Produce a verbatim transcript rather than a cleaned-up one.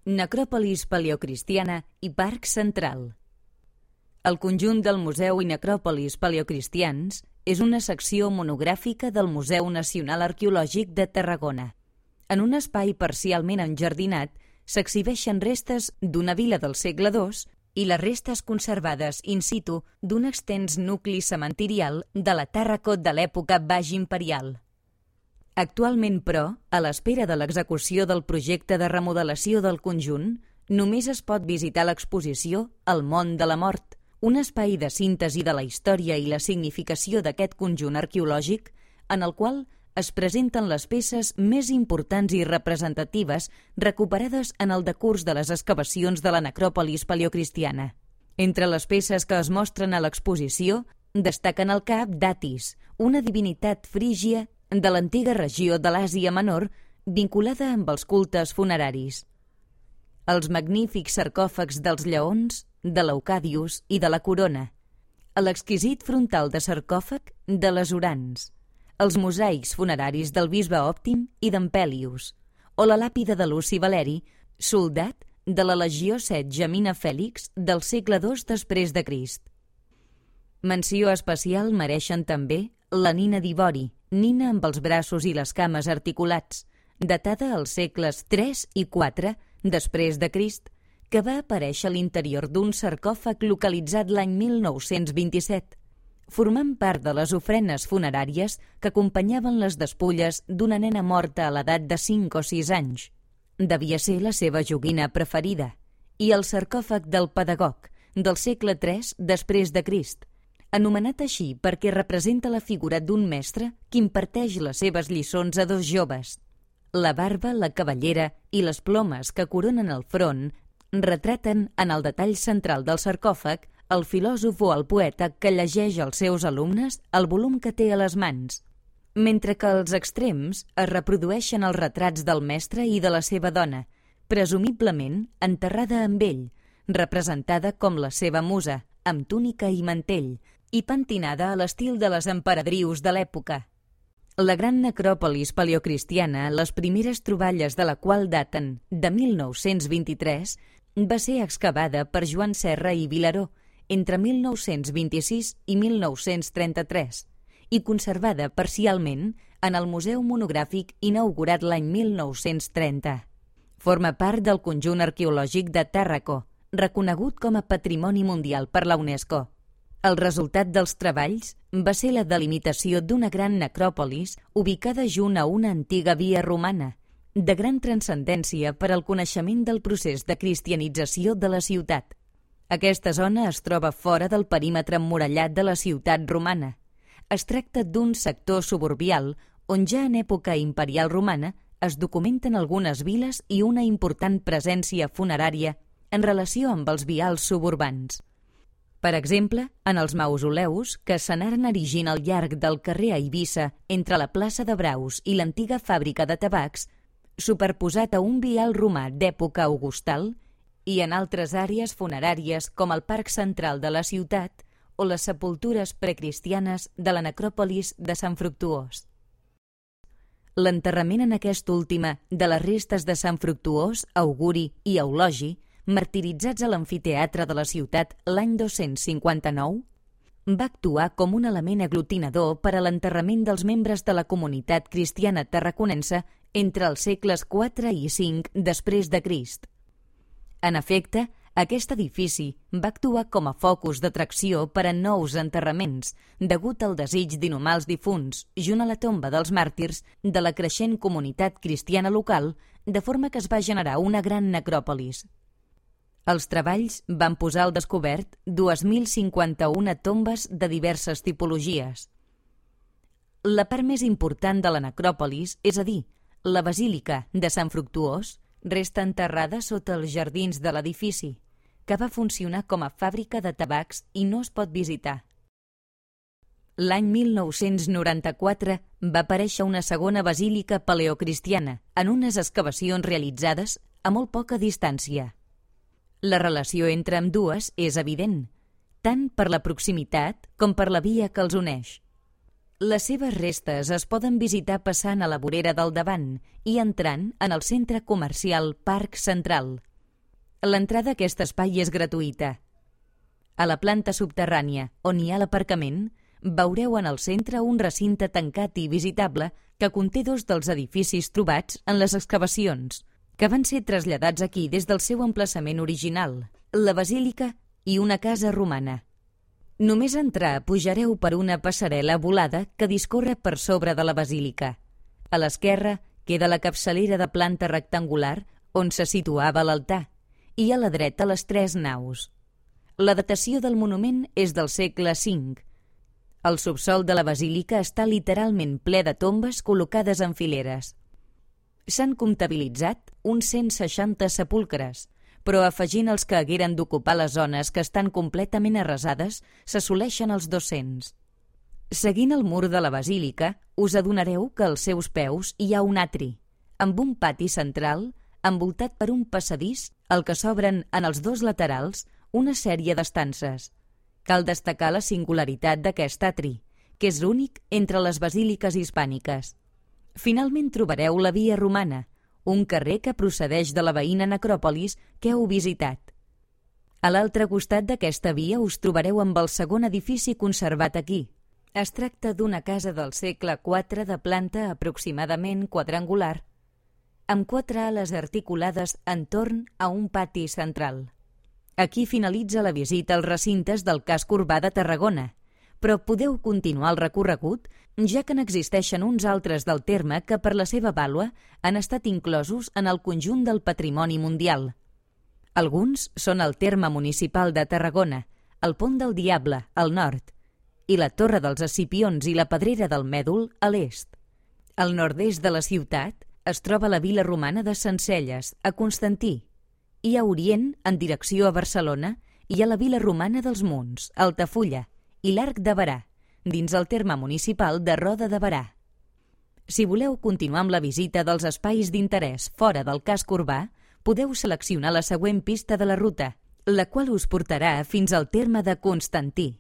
Necròpolis paleocristiana i Parc Central. El conjunt del Museu i Necròpolis paleocristians és una secció monogràfica del Museu Nacional Arqueològic de Tarragona. En un espai parcialment enjardinat s'exhibeixen restes d'una vila del segle dos i les restes conservades in situ d'un extens nucli cementirial de la Tàrraco de l'època baix imperial. Actualment, però, a l'espera de l'execució del projecte de remodelació del conjunt, només es pot visitar l'exposició El món de la mort, un espai de síntesi de la història i la significació d'aquest conjunt arqueològic, en el qual es presenten les peces més importants i representatives recuperades en el decurs de les excavacions de la necròpolis paleocristiana. Entre les peces que es mostren a l'exposició destaquen el cap d'Atis, una divinitat frígia de l'antiga regió de l'Àsia Menor vinculada amb els cultes funeraris. Els magnífics sarcòfags dels lleons, de l'Eucadius i de la Corona, l'exquisit frontal de sarcòfag de les Urans, els mosaics funeraris del bisbe Òptim i d'en Pèlius, o la làpida de Luci Valeri, soldat de la Legió set Gemina Fèlix del segle dos després de Crist. Menció especial mereixen també la nina d'ivori, nina amb els braços i les cames articulats, datada als segles tres i quatre després de Crist, que va aparèixer a l'interior d'un sarcòfag localitzat l'any mil nou-cents vint-i-set, formant part de les ofrenes funeràries que acompanyaven les despulles d'una nena morta a l'edat de cinc o sis anys. Devia ser la seva joguina preferida, i el sarcòfag del pedagog, del segle tres després de Crist, anomenat així perquè representa la figura d'un mestre que imparteix les seves lliçons a dos joves. La barba, la cabellera i les plomes que coronen el front retraten en el detall central del sarcòfag el filòsof o el poeta que llegeix als seus alumnes el volum que té a les mans, mentre que als extrems es reprodueixen els retrats del mestre i de la seva dona, presumiblement enterrada amb ell, representada com la seva musa, amb túnica i mantell, i pentinada a l'estil de les emperadrius de l'època. La gran necròpolis paleocristiana, les primeres troballes de la qual daten de mil nou-cents vint-i-tres, va ser excavada per Joan Serra i Vilaró entre mil nou-cents vint-i-sis i mil nou-cents trenta-tres i conservada parcialment en el Museu Monogràfic inaugurat l'any mil nou-cents trenta. Forma part del conjunt arqueològic de Tàrraco, reconegut com a Patrimoni Mundial per la UNESCO. El resultat dels treballs va ser la delimitació d'una gran necròpolis ubicada junt a una antiga via romana, de gran transcendència per al coneixement del procés de cristianització de la ciutat. Aquesta zona es troba fora del perímetre emmurallat de la ciutat romana. Es tracta d'un sector suburbial on ja en època imperial romana es documenten algunes viles i una important presència funerària en relació amb els vials suburbans. Per exemple, en els mausoleus que s'anaren erigint al llarg del carrer Eivissa entre la plaça de Braus i l'antiga fàbrica de tabacs, superposat a un vial romà d'època augustal, i en altres àrees funeràries com el Parc Central de la ciutat o les sepultures precristianes de la necròpolis de Sant Fructuós. L'enterrament en aquesta última de les restes de Sant Fructuós, Auguri i Eulogi, martiritzats a l'amfiteatre de la ciutat l'any dos-cents cinquanta-nou, va actuar com un element aglutinador per a l'enterrament dels membres de la comunitat cristiana tarraconense entre els segles quatre i cinc després de Crist. En efecte, aquest edifici va actuar com a focus d'atracció per a nous enterraments, degut al desig d'inhumar els difunts, junt a la tomba dels màrtirs de la creixent comunitat cristiana local, de forma que es va generar una gran necròpolis. Els treballs van posar al descobert dos mil cinquanta-una tombes de diverses tipologies. La part més important de la necròpolis, és a dir, la basílica de Sant Fructuós, resta enterrada sota els jardins de l'edifici, que va funcionar com a fàbrica de tabacs i no es pot visitar. L'any mil nou-cents noranta-quatre va aparèixer una segona basílica paleocristiana en unes excavacions realitzades a molt poca distància. La relació entre ambdues és evident, tant per la proximitat com per la via que els uneix. Les seves restes es poden visitar passant a la vorera del davant i entrant en el centre comercial Parc Central, L'entrada a aquest espai és gratuïta. A la planta subterrània, on hi ha l'aparcament, veureu en el centre un recinte tancat i visitable que conté dos dels edificis trobats en les excavacions, que van ser traslladats aquí des del seu emplaçament original, la basílica i una casa romana. Només entrar pujareu per una passarel·la volada que discorre per sobre de la basílica. A l'esquerra queda la capçalera de planta rectangular on se situava l'altar i a la dreta les tres naus. La datació del monument és del segle cinc. El subsòl de la basílica està literalment ple de tombes col·locades en fileres. S'han comptabilitzat uns cent seixanta sepulcres, però afegint els que hagueren d'ocupar les zones que estan completament arrasades, s'assoleixen els dos-cents. Seguint el mur de la basílica, us adonareu que als seus peus hi ha un atri, amb un pati central envoltat per un passadís al que s'obren en els dos laterals una sèrie d'estances. Cal destacar la singularitat d'aquest atri, que és l'únic entre les basíliques hispàniques. Finalment trobareu la Via Romana, un carrer que procedeix de la veïna necròpolis que heu visitat. A l'altre costat d'aquesta via us trobareu amb el segon edifici conservat aquí. Es tracta d'una casa del segle quatre de planta aproximadament quadrangular, amb quatre ales articulades entorn a un pati central. Aquí finalitza la visita als recintes del casc urbà de Tarragona, però podeu continuar el recorregut, ja que n'existeixen uns altres del terme que per la seva vàlua han estat inclosos en el conjunt del patrimoni mundial. Alguns són el terme municipal de Tarragona, el Pont del Diable, al nord, i la Torre dels Escipions i la Pedrera del Mèdol, a l'est. Al nord-est de la ciutat es troba la vila romana de Sencelles, a Constantí, i a orient, en direcció a Barcelona, hi ha la vila romana dels Munts, a Altafulla, i l'Arc de Berà, dins el terme municipal de Roda de Berà. Si voleu continuar amb la visita dels espais d'interès fora del casc urbà, podeu seleccionar la següent pista de la ruta, la qual us portarà fins al terme de Constantí.